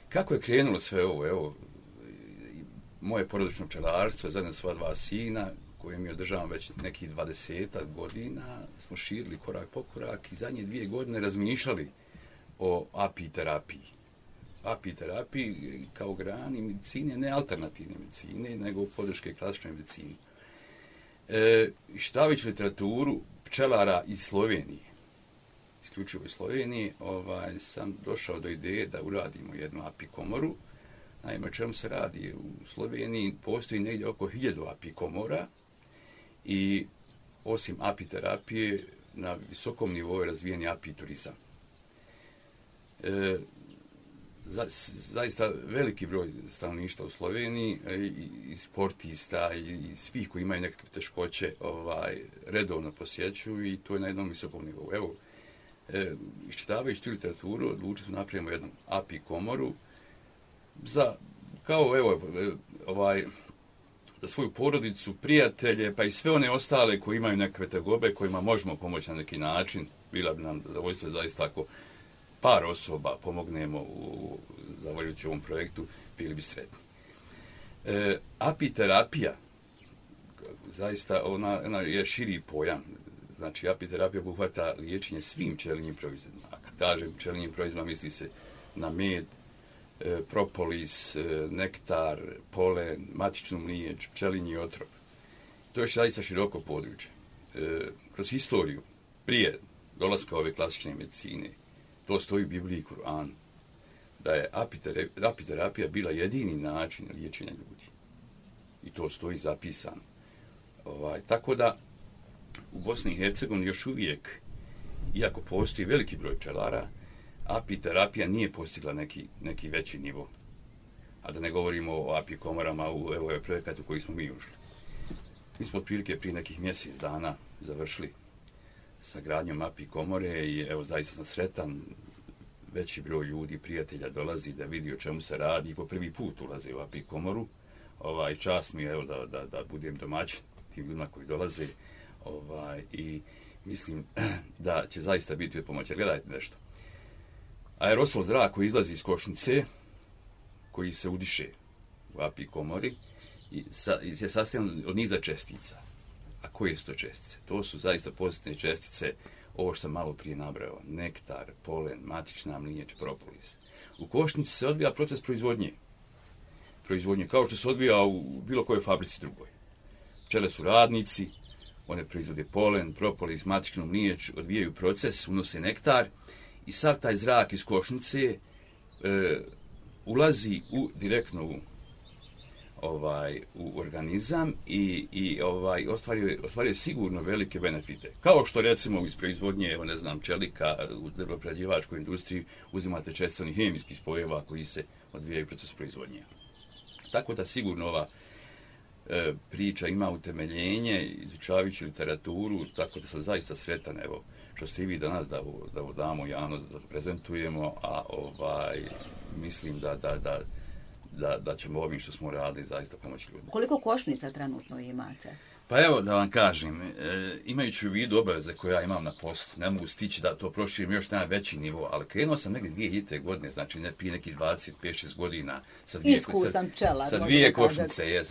Kako je krenulo sve ovo? Evo, moje porodično pčelarstvo, zajedno sva dva sina, koje mi održavam već nekih 20 godina, smo širili korak po korak i zadnje 2 godine razmišljali o apiterapiji. Apiterapiji kao grani medicine, ne alternativne medicine, nego podrške klasičnoj medicini. Čitajući literaturu pčelara iz Slovenije, isključivo iz Slovenije, sam došao do ideje da uradimo jednu apikomoru. Naime, o čemu se radi? U Sloveniji postoji negdje oko 1000 apikomora i osim apiterapije na visokom nivou je razvijen i apiturizam. Zaista veliki broj stanovništva u Sloveniji i sportista i svih koji imaju nekakve teškoće redovno posjećuju i to je na jednom visokom nivou. Evo, iščitavajući tu literaturu, odlučili smo napravimo jednu apikomoru za svoju porodicu, prijatelje, pa i sve one ostale koji imaju nekakve tegobe, kojima možemo pomoći na neki način. Bila bi nam zadovoljstvo zaista ako par osoba pomognemo zahvaljujući ovom projektu, bili bi sretni. Apiterapija, zaista ona je širi pojam. Znači, apiterapija obuhvata liječenje svim pčelinjim proizvodima. A kad kažem pčelinjim proizvodima, misli se na med, propolis, nektar, polen, matičnu mliječ, pčelinji otrov. To je zaista široko područje. Kroz historiju, prije dolaska ove klasične medicine, to stoji u Bibliji i Kur'anu, da je apiterapija bila jedini način liječenja ljudi. I to stoji zapisano. Tako da, u Bosni i Hercegovini još uvijek, iako postoji veliki broj pčelara, apiterapija nije postigla neki veći nivo. A da ne govorimo o apikomorama u ovaj projekat u koji smo mi ušli. Mi smo otprilike prije nekih mjesec dana završili sa gradnjom apikomore i evo zaista sam sretan. Veći broj ljudi, prijatelja dolazi da vidi o čemu se radi i po prvi put ulaze u apikomoru. Čast mi je evo da budem domaćin tim ljudima koji dolaze i mislim da će zaista biti od pomoći. Gledajte nešto. Aerosol zrak koji izlazi iz košnice, koji se udiše u apikomori, je sastavljen od niza čestica. A koje su to čestice? To su zaista pozitivne čestice, ovo što sam malo prije nabrao, nektar, polen, matična mliječ, propolis. U košnici se odvija proces proizvodnje. Kao što se odvija u bilo kojoj fabrici drugoj. Pčele su radnici, one proizvode polen, propolis, matičnu mliječ, odvijaju proces, unose nektar i sav taj zrak iz košnice ulazi direktno u organizam i ostvaruje sigurno velike benefite. Kao što recimo iz proizvodnje, čelika u drvoprerađivačkoj industriji uzimate često onih hemijskih spojeva koji se odvijaju proces proizvodnje. Tako da sigurno ova priča ima utemeljenje, izučavajući literaturu, tako da sam zaista sretan, evo, što ste i vi danas da damo javnost, da prezentujemo, a mislim da ćemo ovim što smo radili zaista pomoći ljudima. Koliko košnica trenutno imate? Pa evo da vam kažem, imajući u vidu obaveze koje ja imam na poslu, ne mogu stići da to proširim još na veći nivo, ali krenuo sam negdje 2000. godine, znači prije nekih 25-6 godina sa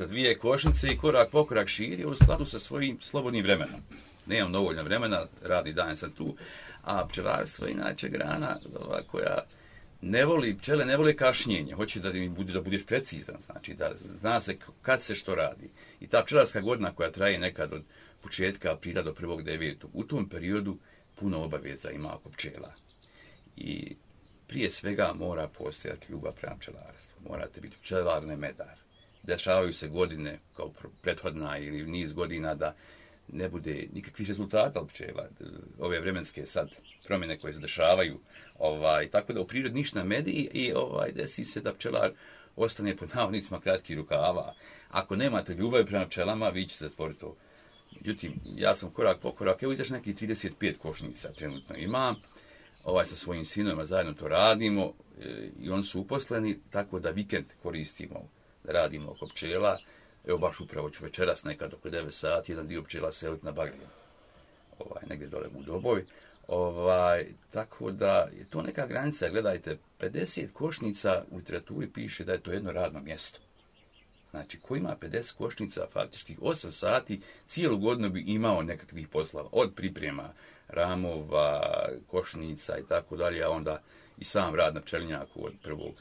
dvije košnice i korak po korak širio u skladu sa svojim slobodnim vremenom. Nemam dovoljno vremena, radi dan sam tu, a pčelarstvo je inače grana koja pčele ne vole kašnjenje, hoće da budeš precizan, znači da zna se kad se što radi. I ta pčelarska godina koja traje nekad od početka aprila do 1.9. u tom periodu puno obaveza ima oko pčela. I prije svega mora postojati ljubav prema pčelarstvu. Morate biti pčelar, ne medar. Dešavaju se godine kao prethodna ili niz godina da ne bude nikakvih rezultata od pčela. Ove vremenske sad promjene koje se dešavaju, tako da u prirodi ništa ne medi i desi se da pčelar ostane pod navodnicima kratkih rukava. Ako nemate ljubavi prema pčelama, vi ćete zatvoriti to. Međutim, ja sam korak po korak, evo izaš nekih 35 košnica trenutno imam, sa svojim sinovima zajedno to radimo i oni su uposleni, tako da vikend koristimo da radimo oko pčela. Evo baš upravo ću večeras nekad oko 9 sati jedan dio pčela seliti na Bagrin, negdje dole u Doboj. Tako da je to neka granica, gledajte, 50 košnica u literaturi piše da je to jedno radno mjesto. Znači, ko ima 50 košnica, faktički 8 sati, cijelu godinu bi imao nekakvih poslova, od priprema ramova, košnica i tako dalje, a onda i sam rad na pčelinjaku od 1.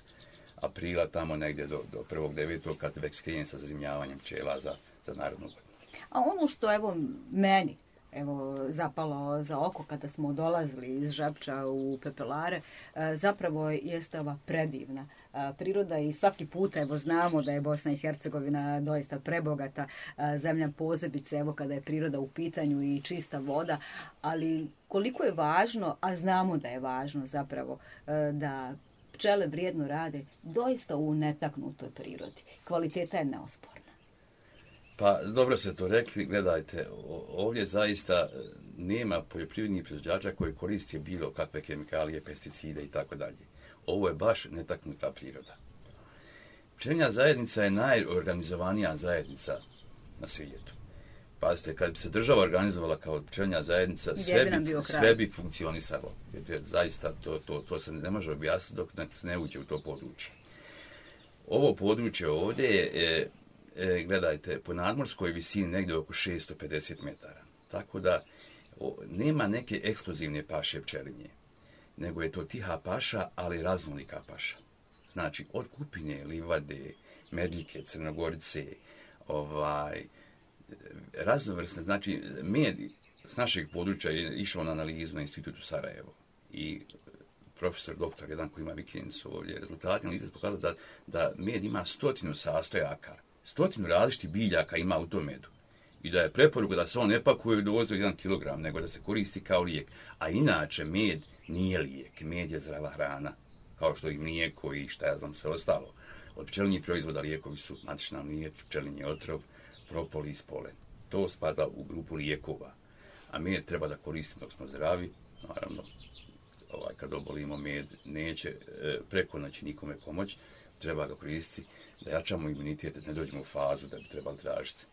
aprila tamo negdje do 1.9. kad već krene sa zazimljavanjem pčela za narodnu godinu. A ono što evo meni zapalo za oko kada smo dolazili iz Žepča u Pepelare, zapravo jeste ova predivna priroda i svaki puta znamo da je Bosna i Hercegovina doista prebogata zemlja, posebice kada je priroda u pitanju i čista voda, ali koliko je važno, a znamo da je važno zapravo da pčele vrijedno rade doista u netaknutoj prirodi. Kvaliteta je neosporna. Pa dobro ste to rekli, gledajte, ovdje zaista nema poljoprivrednih proizvođača koji koriste bilo kakve kemikalije, pesticide i tako dalje. Ovo je baš netaknuta priroda. Pčelinja zajednica je najorganizovanija zajednica na svijetu. Pazite, kad bi se država organizovala kao pčelinja zajednica, sve bi funkcionisalo. Jer zaista to se ne može objasniti dok se ne uđe u to područje. Ovo područje ovdje je, gledajte, po nadmorskoj visini negdje oko 650 metara. Tako da nema neke ekskluzivne paše pčelinje, nego je to tiha paša, ali raznolika paša. Znači, od kupine, livade, medljike, crnogorice, raznovrsne, znači, med s našeg područja je išao na analizu na institutu Sarajevo i profesor doktor, jedan koji ima vikendicu ovdje, rezultati analize pokazali da med ima 100 sastojaka, 100 različitih biljaka ima u tom medu. I da je preporuka da se on ne pakuje u dozu 1 kg, nego da se koristi kao lijek. A inače, med nije lijek, med je zdrava hrana, kao što i mlijeko i šta ja znam sve ostalo. Od pčelinjih proizvoda lijekovi su matična mlijek, pčelinji otrov, propolis, polen. To spada u grupu lijekova. A med treba da koristimo dok smo zdravi. Naravno, kad obolimo, med neće preko noći nikome pomoći. Treba ga koristiti da jačamo imunitet, da ne dođemo u fazu da bi trebali tražiti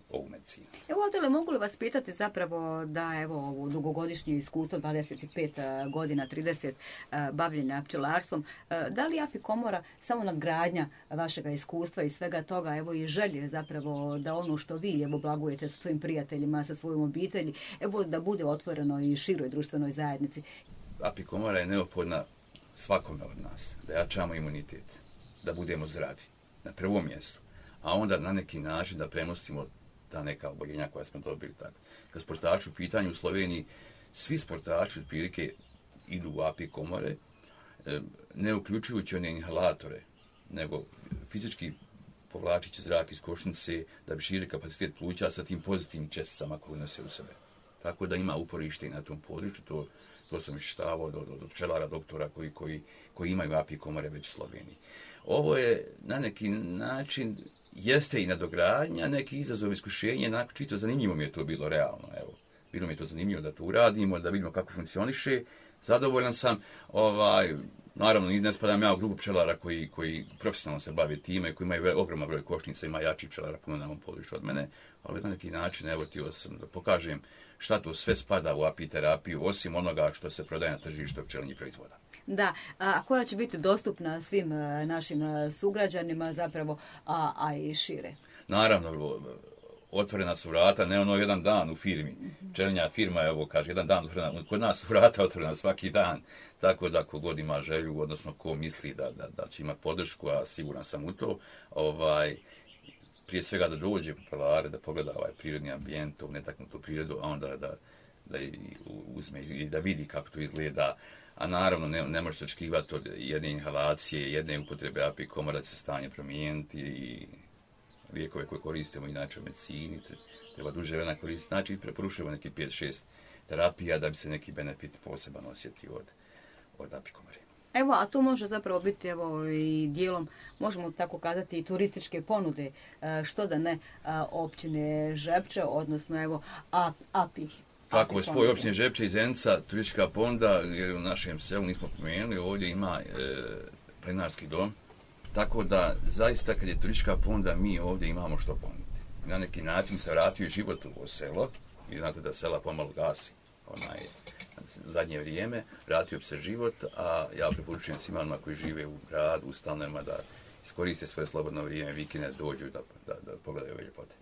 ovu medicinu. Evo, Adele, mogu li vas pitati zapravo da ovo dugogodišnje iskustvo, 25 godina, 30 bavljenja pčelarstvom, da li Apikomora samo nadgradnja vašega iskustva i svega toga, i želje zapravo da ono što vi blagujete sa svojim prijateljima, sa svojom obitelji, da bude otvoreno i široj društvenoj zajednici? Apikomora je neophodna svakome od nas, da jačamo imunitet, da budemo zdravi na prvom mjestu, a onda na neki način da premostimo ta neka oboljenja koja smo dobili. Tako. Kad sportači u pitanju u Sloveniji, svi sportači otprilike idu u Apikomore, ne uključujući one inhalatore, nego fizički povlačići zrak iz košnice da bi širi kapacitet pluća sa tim pozitivnim česticama koje nose u sebe. Tako da ima uporište i na tom području, to sam iščitavao do pčelara, doktora koji imaju Apikomore već u Sloveniji. Ovo je na neki način jeste i nadogradnja, neki izazov, iskušenje, čito zanimljivo mi je to bilo realno. Evo, bilo mi je to zanimljivo da to uradimo, da vidimo kako funkcioniše. Zadovoljan sam, naravno, ne spadam ja u grupu pčelara koji profesionalno se bave time, koji imaju ogroman broj košnica, ima jači pčelara puno na ovom području od mene, ali na neki način, evo, htio sam da pokažem šta to sve spada u apiterapiju, osim onoga što se prodaje na tržištu pčelinjih proizvoda. Da, a koja će biti dostupna svim našim sugrađanima zapravo, a i šire? Naravno, otvorena su vrata, ne jedan dan u firmi. Pčelinja firma, kaže, jedan dan otvorena, kod nas su vrata otvorena svaki dan, tako da ko god ima želju, odnosno ko misli da će imati podršku, a siguran sam u to, prije svega da dođe u Pepelare, da pogleda ovaj prirodni ambijent, ovu netaknutu prirodu, a onda da uzme i da vidi kako to izgleda. A naravno, ne može se očekivati od jedne inhalacije, jedne upotrebe Apikomora da će se stanje promijeniti i lijekove koje koristimo inače u medicini, treba duže vremena koristiti. Znači, preporučujemo neki 5-6 terapija da bi se neki benefit poseban osjetio od Apikomore. Evo, a to može zapravo biti i dijelom, možemo tako kazati, i turističke ponude, što da ne, općine Žepče, odnosno Api. Tako je, spoj općine Žepče i Zenica, turistička ponuda, jer u našem selu nismo pomenuli, ovdje ima planinarski dom. Tako da, zaista, kad je turistička ponuda, mi ovdje imamo što ponuditi. Na neki način se vratio život u ovo selo, i znate da sela pomalo gasi. zadnje vrijeme, vratio bi se život, a ja preporučujem svima onima koji žive u gradu, u stanovima da iskoriste svoje slobodno vrijeme, vikende, dođu da pogledaju ove ljepote.